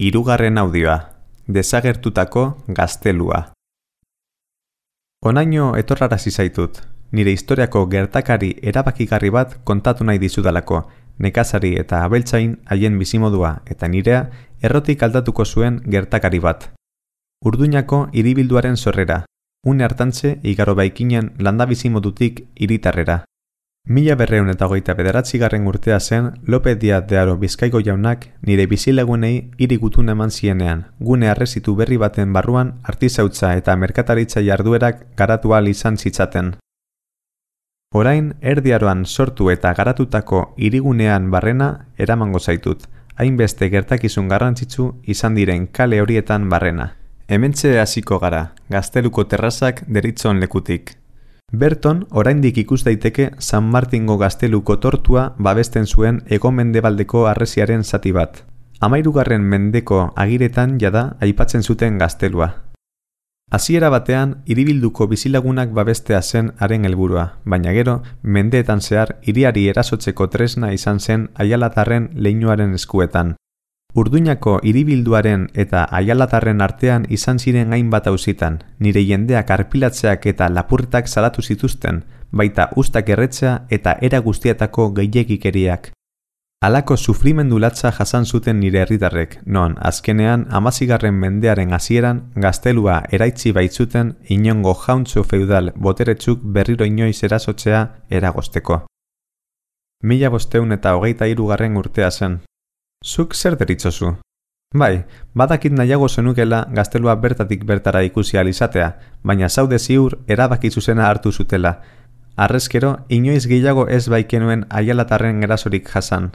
Hirugarren audioa, desagertutako gaztelua. Honaino etorrarazi zaitut, nire historiako gertakari erabakigarri bat kontatu nahi dizudalako, nekazari eta abeltzain haien bizimodua eta nirea errotik aldatuko zuen gertakari bat. Urduñako hiribilduaren sorrera, une hartantze igaro baikinen landa bizimodutik hiritarrera. 1929 urtea zen López Díaz de Haro Bizkaiko jaunak nire bizilagunei hiri gutun eman zienean, gune arrezitu berri baten barruan artizautza eta merkataritza jarduerak garatu ahal izan zitzaten. Orain Erdi Aroan sortu eta garatutako hirigunean barrena eramango zaitut, hainbeste gertakizun garrantzitsu izan diren kale horietan barrena. Hementxe hasiko gara, Gazteluko terrazak deritzon lekutik. Berton, oraindik ikus daiteke San Martingo gazteluko tortua babesten zuen hego-mendebaldeko harresiaren zati bat. 13. mendeko agiretan jada aipatzen zuten gaztelua. Hasiera batean, hiribilduko bizilagunak babestea zen haren helburua, baina gero, mendeetan zehar hiriari erasotzeko tresna izan zen Aialatarren leinuaren eskuetan. Urduñako hiribilduaren eta Aialatarren artean izan ziren hainbat auzitan, nire jendeak arpilatzeak eta lapurretak salatu zituzten, baita ustak erretzea eta era guztietako gehiegikeriak. Halako sufrimendu latza jasan zuten nire herritarrek, non azkenean 16. mendearen hasieran gaztelua eraitzi baitzuten inongo jauntxo feudal boteretsuk berriro inoiz erasotzea eragozteko. 1523. urtea zen. Zuk zer deritzozu? Bai, badakit nahiago zenukela gaztelua bertatik bertara ikusi ahal izatea, baina zaude ziur erabaki zuzena hartu zutela. Harrezkero, inoiz gehiago ez baikenuen Aialatarren erasorik jasan.